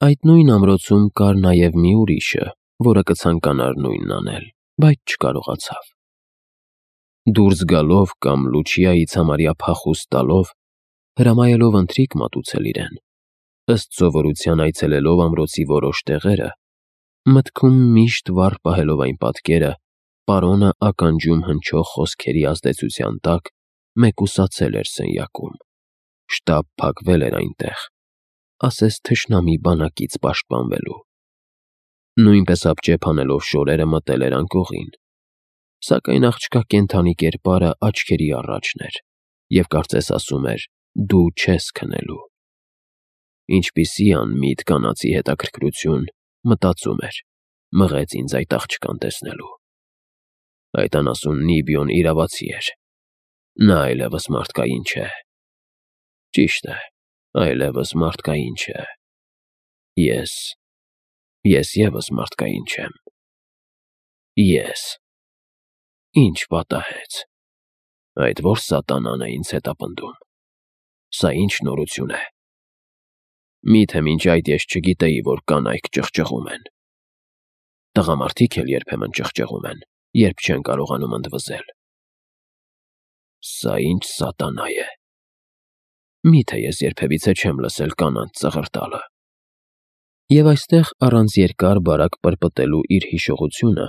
Այդ նույն ամրոցում կար նաև մի ուրիշը, որը կցանկանար նույնն անել, բայց չկարողացավ։ Դուրս գալով կամ Լուչիայից համարյա փախուստ տալով, հրամայելով ընթրիք մատուցել իրեն, ըստ սովորության այցելելով ամրոցի որոշ տեղերը, մտքում միշտ վառ պահելով այն պատկերը, պարոնը ականջում հնչող խոսքերի ազդեցության տակ մեկուսացել էր սենյակում, շտապ փակվել էր այնտեղ, ասես թշնամի բանակից պաշտպանվելու։ Նույնպես ապճեպ անելով շորերը մտել էր անկողին, սակայն աղջկա կենդանի կերպարը աչքերի առաջն էր և կարծես ասում էր. «Դու չես քնելու»։ Ինչպիսի անմիտ կանացի հետաքրքրություն, մտածում էր, մղեց ինձ այդ աղջկան տեսնելու։ Այդ անասուն Նիբիոն իրավացի էր։ Նա այլևս մարդկային չէ։ Ճիշտ է, այլևս մարդկային չէ։ Ես ևս մարդկային չեմ։ Ինչ պատահեց։ Այդ ո՞ր սատանան է ինձ հետապնդում։ Սա ինչ նորություն է։ Միթե մինչ այդ ես չգիտեի, որ կանայք ճղճղում են։ Տղամարդիկ էլ երբեմն ճղճղում են, երբ չեն կարողանում ընդվզել։ Սա ինչ սատանա է։ Միթե ես երբևիցե չեմ լսել կանանց ծղրտալը։ Եվ այստեղ առանց երկար բարակ պրպտելու իր հիշողությունը,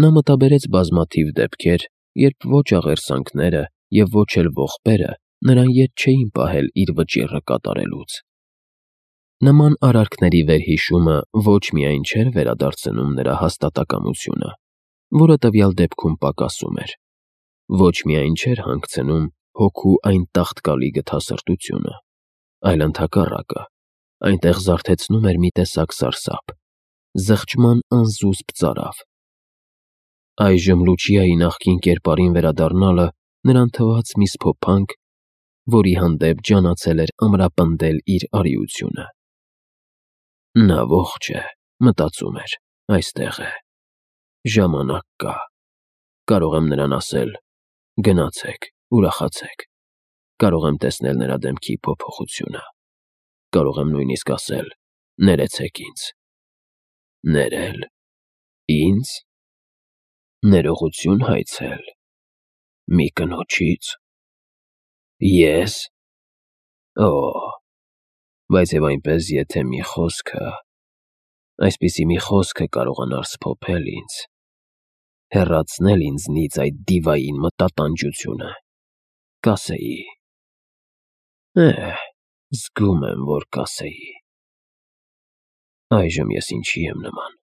նա մտաբերեց բազմաթիվ դեպքեր, երբ ոչ աղերսանքները և ոչ էլ ողբերը նրան ետ չէին պահել իր վճիռը կատարելուց։ Նման արարքների վերհիշումը ոչ միայն չէր վերադարձնում նրա հաստատակամությունը, որը տվյալ դեպքում պակասում էր, ոչ միայն չէր հանգցնում հոգու այն տաղտկալի գթասրտությունը, այլ ընդհակառակը, այնտեղ զարթեցնում էր մի տեսակ սարսափ, զղջման անզուսպ ծարավ։ Այժմ Լուչիայի նախկին կերպարին վերադառնալը նրան թվաց մի սփոփանք, որի հանդեպ ջանացել էր ամրապնդել իր արիությունը։ Նա ողջ է, մտածում էր, այստեղ է։ Ժամանակ կա։ Կարող եմ նրան ասել. «Գնացեք, ուրախացեք»։ Կարող եմ տեսնել նրա դեմքի փոփոխությունը։ Կարող եմ նույնիսկ ասել. «Ներեցեք ինձ»։ Ներել։ Ինձ։ Ներողություն հայցել։ Մի կնոջից։ Ես։ Օ, բայց և այնպես եթե մի խոսքը, այսպիսի մի խոսքը կարողանար սփոփել ինձ, հեռացնել ինձնից այդ դիվային մտատանջությունը, կասեի. զգում եմ, որ կասեի. այժմ ես ինչի եմ նման։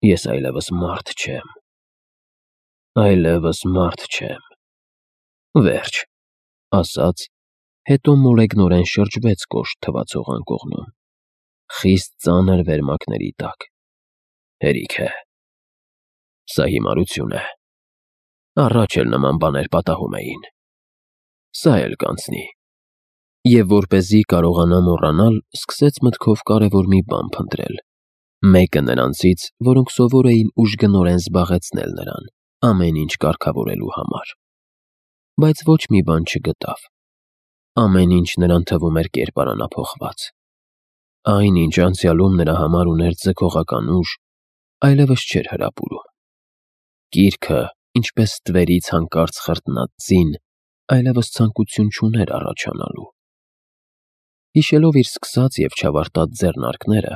Ես այլևս մարդ չեմ։ Այլևս մարդ չեմ։ Վերջ, ասաց, հետո մոլեգնորեն շրջվեց կոշտ թվացող անկողնում, խիստ ծանր վերմակների տակ։ Հերիք է։ Սա հիմարություն է։ Առաջ էլ նման բաներ պատահում էին։ Սա էլ կանցնի։ Եվ որպեսզի կարողանա մոռանալ, սկսեց մտքով կարևոր մի բան փնտրել, մեկը նրանցից, որոնք սովոր էին ուժգնորեն զբաղեցնել նրան, ամեն ինչ կարգավորելու համար։ Բայց ոչ մի բան չգտավ։ Ամեն ինչ նրան թվում էր կերպարանափոխված։ Այն, ինչ անցյալում նրա համար ուներ ձգողական ուժ, այլևս չէր հրապուրում։ Գիրքը, ինչպես ստվերից հանկարծ խրտնած ձին, այլևս ցանկություն չուներ առաջանալու։ Հիշելով իր սկսած և չավարտած ձեռնարկները,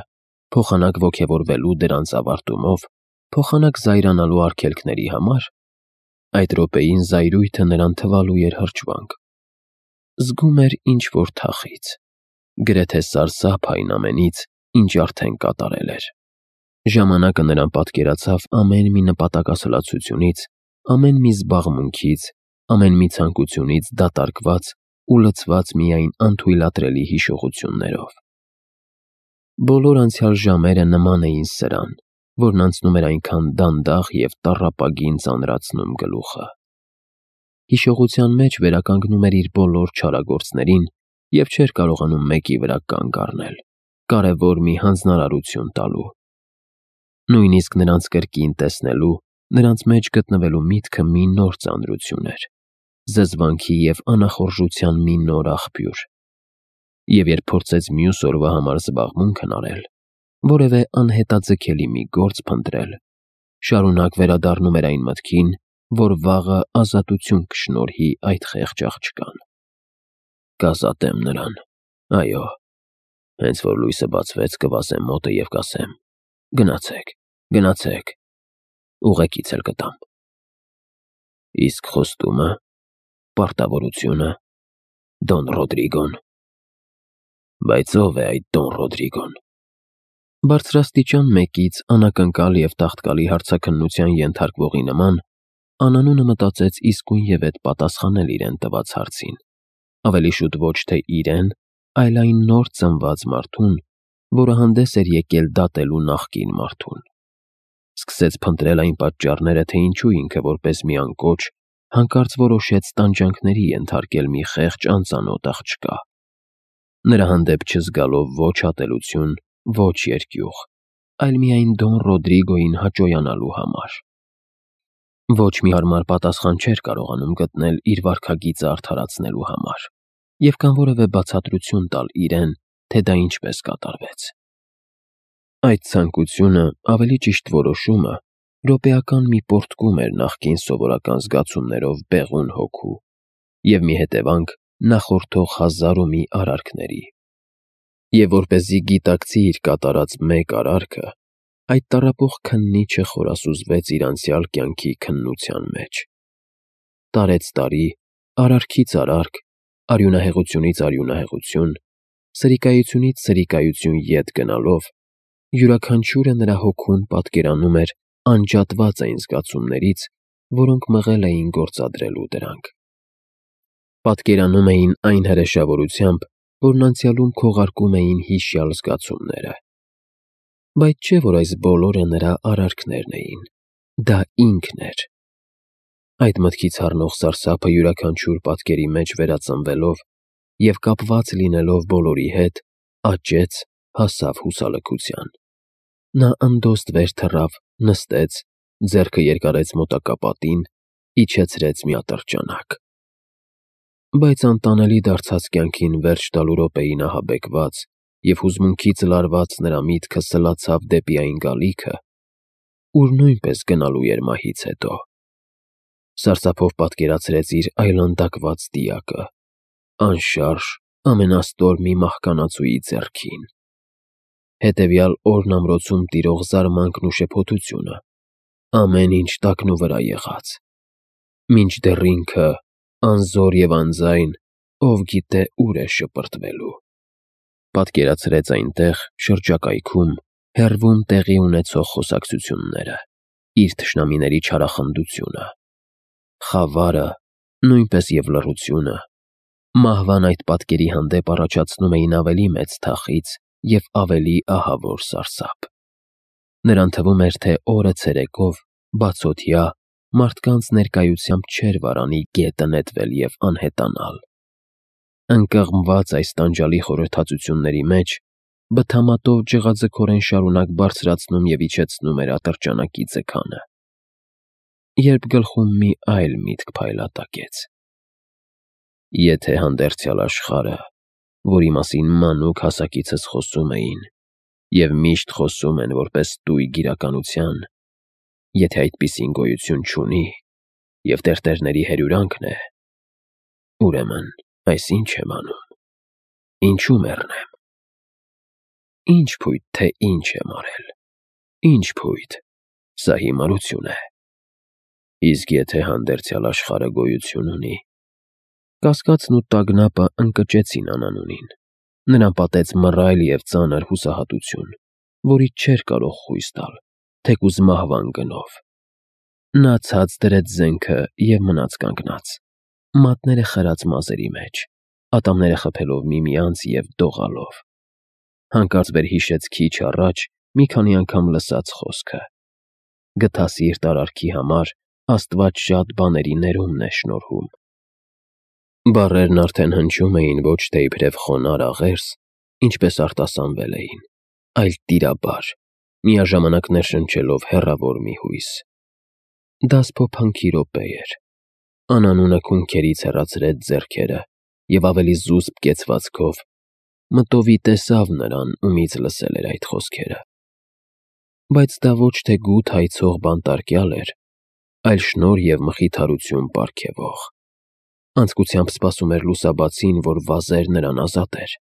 փոխանակ ոգևորվելու դրանց ավարտումով, փոխանակ զայրանալու արգելքների համար, այդ րոպեին զայրույթը նրան թվալու էր հրճվանք։ Զգում էր ինչ-որ թախիծ, գրեթե սարսափ այն ամենից, ինչ արդեն կատարել էր։ Ժամանակը նրան պատկերացավ ամեն մի նպատակասլացությունից, ամեն մի զբաղմունքից, ամեն մի ցանկությունից դատարկված ու լցված միայն անթույլատրելի հիշողություններով։ Բոլոր անցյալ ժամերը նման էին սրան, որն անցնում էր այնքան դանդաղ և տառապագին ծանրացնում գլուխը։ Հիշողության մեջ վերականգնում էր իր բոլոր չարագործներին և չէր կարողանում մեկի վրա կանգ առնել, կարևոր մի հանձնարարություն տալու։ Նույնիսկ նրանց կրկին տեսնելու, նրանց մեջ գտնվելու միտքը մի նոր ծանրություն էր, զզվանքի և անախորժության մի նոր աղբյուր։ Եվ երբ փորձեց մյուս օրվա համար զբաղմունքն արել, որևէ անհետաձգելի մի գործ փնտրել, շարունակ վերադառնում էր այն մտքին, որ վաղը ազատություն կշնորհի այդ խեղճ աղջկան։ Կազատեմ նրան, այո, հենց որ լույսը բացվեց, կվազեմ մոտը և կասեմ. գնացեք, գնացեք, ուղեկից էլ կտամ։ Իսկ խոստումը, պարտավորությունը, Դոն Ռոդրիգոն։ Բայց ով է այդ Դոն Ռոդրիգոն։ Բարձրաստիճան մեկից անակնկալ և տաղտկալի հարցաքննության ենթարկվողի նման անանունը մտածեց իսկույնևեթ պատասխանել իրեն տված հարցին, ավելի շուտ ոչ թե իրեն, այլ այն նոր ծնված մարդուն, որը հանդես էր եկել դատելու նախկին մարդուն։ Սկսեց փնտրել այն պատճառները, թե ինչու ինքը որպես մի անկոչ հանկարծ որոշեց տանջանքների ենթարկել մի խեղճ անծանոթ աղջկա, նրա հանդեպ չզգալով ոչ ատելություն, ոչ երկյուղ, այլ միայն Դոն Ռոդրիգոյին հաճոյանալու համար։ Ոչ մի հարմար պատասխան չէր կարողանում գտնել իր վարքագիծը արդարացնելու համար և կամ որևէ բացատրություն տալ իրեն, թե դա ինչպես կատարվեց։ Այդ ցանկությունը, ավելի ճիշտ որոշումը, րոպեական մի պոռթկում էր նախկին սովորական զգացումներով բեղուն հոգու և մի հետևանք նախորդող հազար ու մի արարքների։ Եվ որպեսզի գիտակցի իր կատարած մեկ արարքը, այդ տառապող քննիչը խորասուզվեց իր անցյալ կյանքի քննության մեջ։ Տարեց տարի, արարքից արարք, արյունահեղությունից արյունահեղություն, սրիկայությունից սրիկայություն ետ գնալով, յուրաքանչյուրը նրա հոգուն պատկերանում էր անջատված այն զգացումներից, որոնք մղել էին գործադրելու դրանք։ Պատկերանում էին այն հրեշավորությամբ, որն անցյալում քողարկում էին հիշյալ զգացումները։ Բայց չէ՞ որ այս բոլորը նրա արարքներն էին, դա ինքն էր։ Այդ մտքից հառնող սարսափը յուրաքանչյուր պատկերի մեջ վերածնվելով և կապված լինելով բոլորի հետ, աճեց, հասավ հուսալքության։ Նա ընդոստ վեր թռավ, նստեց, ձեռքը երկարեց մոտակա պատին, իջեցրեց մի ատրճանակ։ Բայց անտանելի դարձած կյանքին վերջ տալու րոպեին ահաբեկված և հուզմունքից լարված նրա միտքը սլացավ դեպի այն գալիքը, ուր նույնպես գնալու էր մահից հետո։ Սարսափով պատկերացրեց իր այլանդակված դիակը, անշարժ, ամենաստոր մի մահկանացուի ձեռքին։ Հետևյալ օրն ամրոցում տիրող զարմանքն ու շփոթությունը, ամեն ինչ տակնուվրա եղած։ Մինչդեռ ինքը, անզոր և անձայն, ով գիտե ուր է շպրտվելու։ Պատկերացրեց այնտեղ, շրջակայքում, հեռվում տեղի ունեցող խոսակցությունները, իր թշնամիների չարախնդությունը, խավարը, նույնպես և լռությունը, մահվան այդ պատկերի հանդեպ առաջացնում էին ավելի մեծ թախիծ և ավելի ահավոր սարսափ։ Նրան թվում էր, թե օրը ցերեկով, բացօթյա, մարդկանց ներկայությամբ չէր վարանի գետը նետվել և անհետանալ։ Ընկղմված այս տանջալի խորհրդածությունների մեջ, բթամատով ջղաձգորեն շարունակ բարձրացնում և իջեցնում էր ատրճանակի ձգանը, երբ գլխում մի այլ միտք փայլատակեց. Եթե հանդերձյալ աշխարհը, որի մասին մանուկ հասակիցս խոսում էին և միշտ խոսում են որպես տույգ իրականության, եթե այդպիսին գոյություն չունի և տերտերների հրյուրանքն է, ուրեմն այս ի՞նչ եմ անում, ինչու մեռնեմ։ Ի՞նչ փույթ, թե ինչ եմ արել, ի՞նչ փույթ, սա հիմարություն է։ Իսկ եթե հանդերձյալ աշխարհը գոյություն ունի։ Կասկածն ու տագնապը ընկճեցին անանունին, նրան պատեց մռայլ և ծանր հուսահատություն, որից չէր կարող խույս տալ, թեկուզ մահվան գնով։ Նա ցած դրեց զենքը և մնաց կանգնած, մատները խրած մազերի մեջ, ատամները խփելով միմյանց և դողալով։ Հանկարծ վերհիշեց քիչ առաջ մի քանի անգամ լսած խոսքը. «Գթասիրտ արարքի համար Աստված շատ բաների ներումն է շնորհում»։ Բառերն արդեն հնչում էին ոչ թե իբրև խոնարհ աղերս, ինչպես արտասանվել էին, այլ տիրաբար, միաժամանակ ներշնչելով հեռավոր մի հույս։ Դա սփոփանքի րոպե էր։ Անանունը քունքերից հեռացրեց ձեռքերը և ավելի զուսպ կեցվածքով, մտովի տեսավ նրան, ումից լսել էր այդ խոսքերը։ Բայց դա ոչ թե գութ հայցող բանտարկյալ էր, այլ շնորհ և մխիթարություն պարգևող։ Անձկությամբ սպասում էր լուսաբացին, որ վազեր նրան ազատեր։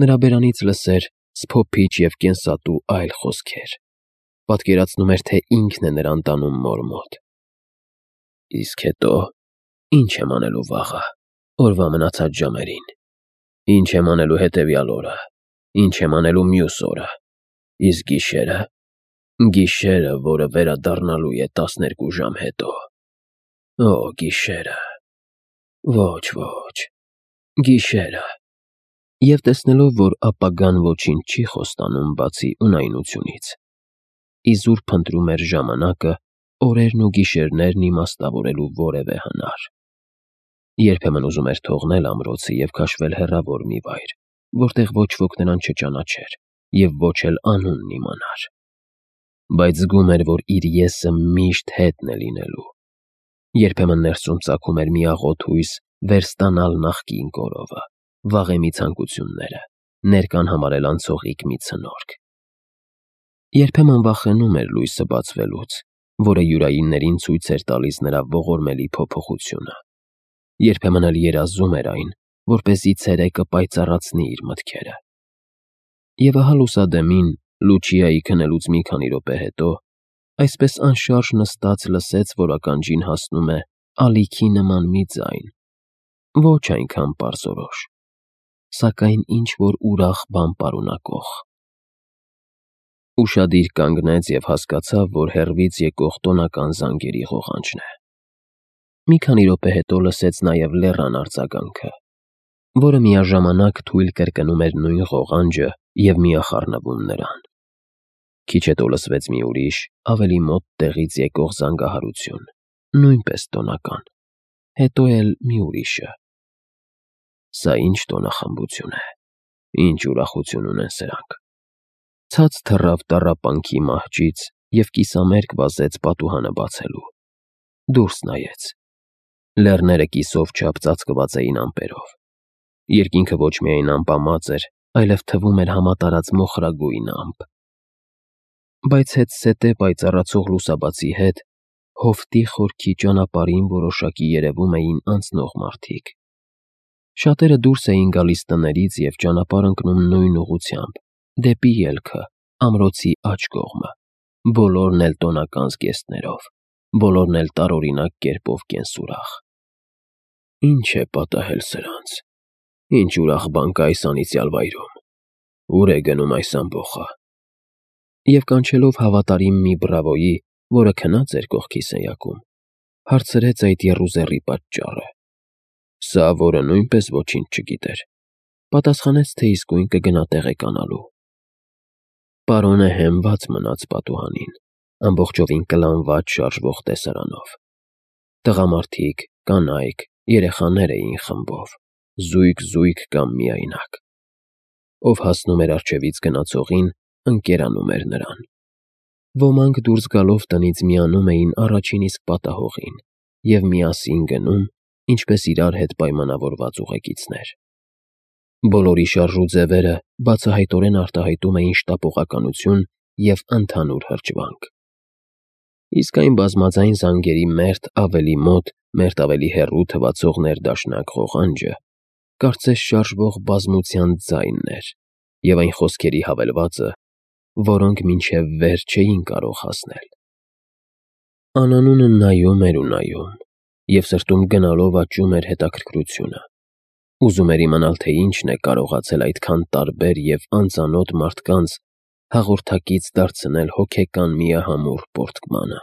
Նրա բերանից լսեր սփոփիչ և կենսատու այլ խոսքեր։ Պատկերացնում էր, թե ինքն է նրան տանում մոր մոտ։ Իսկ հետո ի՞նչ եմ անելու վաղը, օրվա մնացած ժամերին։ Ի՞նչ եմ անելու հետևյալ օրը։ Ի՞նչ եմ անելու մյուս օրը։ Իսկ գիշերը։ Գիշերը, որը վերադառնալու է 12 ժամ հետո։ Օ, գիշերը։ Ոչ, գիշերը։ Եվ տեսնելով, որ ապագան ոչինչ չի խոստանում բացի ունայնությունից, իզուր փնտրում էր ժամանակը օրերն ու գիշերներն իմաստավորելու որևէ հնար։ Երբեմն ուզում էր թողնել ամրոցը և քաշվել հեռավոր մի վայր, որտեղ ոչ ոք նրան չճանաչեր և ոչ էլ անունն իմանար։ Բայց զգում էր, որ իր եսը միշտ հետն է լինելու։ Երբեմն ներսում ծագում էր մի աղոտ հույս վերստանալ նախկին կորովը, վաղեմի ցանկությունները, ներկան համարել անցողիկ մի ցնորք։ Երբեմն վախենում էր լույսը բացվելուց, որը յուրայիններին ցույց էր տալիս նրա ողորմելի փոփոխությունը։ Երբեմն էլ երազում էր այն, որպեսզի ցերեկը պայծառացնի իր մտքերը։ Եվ ահա լուսադեմին, Լուչիայի քնելուց մի քանի րոպե հետո, այսպես անշարժ նստած լսեց, որ ականջին հասնում է ալիքի նման մի ձայն, ոչ այնքան պարզորոշ, սակայն ինչ-որ ուրախ բան պարունակող։ Ուշադիր կանգնեց և հասկացավ, որ հեռվից եկող տոնական զանգերի ղողանջն է։ Մի քանի րոպե հետո լսեց նաև լեռան արձագանքը, որը միաժամանակ թույլ կրկնում էր նույն ղողանջը և միախառնվում նրան։ Քիչ հետո լսվեց մի ուրիշ, ավելի մոտ տեղից եկող զանգահարություն, նույնպես տոնական, հետո էլ մի ուրիշը։ Սա ինչ տոնախմբություն է, ինչ ուրախություն ունեն սրանք։ Ցած թռավ տառապանքի մահճից և կիսամերկ վազեց պատուհանը բացելու։ Դուրս նայեց։ Լեռները կիսով չափ ծածկված էին ամպերով։ Երկինքը ոչ միայն ամպամած էր, այլև թվում էր համատարած մոխրագույն ամպ։ Բայց հետզհետե պայծառացող լուսաբացի հետ հովտի խորքի ճանապարհին որոշակի երևում էին անցնող մարդիկ։ Շատերը դուրս էին գալիս տներից և ճանապարհ ընկնում նույն ուղղությամբ, դեպի ելքը, ամրոցի աջ կողմը, բոլորն էլ տոնական զգեստներով, բոլորն էլ տարօրինակ կերպով կենսուրախ։ Ինչ է պատահել սրանց։ Ինչ ուրախ բան կա այս անիծյալ վայրում։ Ուր է գնում այս ամբոխը։ Եվ կանչելով հավատարիմ մի բրավոյի, որը քնած էր կողքի սենյակում, հարցրեց այդ եռուզեռի պատճառը։ Սա, որը նույնպես ոչինչ չգիտեր, պատասխանեց, թե իսկույն կգնա տեղեկանալու։ Պարոնը հենված մնաց պատուհանին, ամբողջովին կլանված շարժվող տեսարանով։ Տղամարդիկ, կանայք, երեխաներ էին խմբով, զույգ կամ միայնակ։ Ով հասնում էր առջևից գնացողին, ընկերանում էր նրան։ Ոմանք դուրս գալով տնից միանում էին առաջին իսկ պատահողին և միասին գնում, ինչպես իրար հետ պայմանավորված ուղեկիցներ։ Բոլորի շարժ ու ձևերը բացահայտորեն արտահայտում էին շտապողականություն և ընդհանուր հրճվանք։ Իսկ այն բազմաձայն զանգերի մերթ ավելի մոտ, մերթ ավելի հեռու թվացող ներդաշնակ ղողանջը կարծես շարժվող բազմության ձայնն էր և այն խոսքերի հավելվածը, որոնք մինչև վեր չէին կարող հասնել։ Անանունը նայում էր ու նայում, և սրտում գնալով աճում էր հետաքրքրությունը։ Ուզում էր իմանալ, թե ինչն է կարողացել այդքան տարբեր և անծանոթ մարդկանց հաղորդակից դարձնել հոգեկան միահամուռ պոռթկմանը։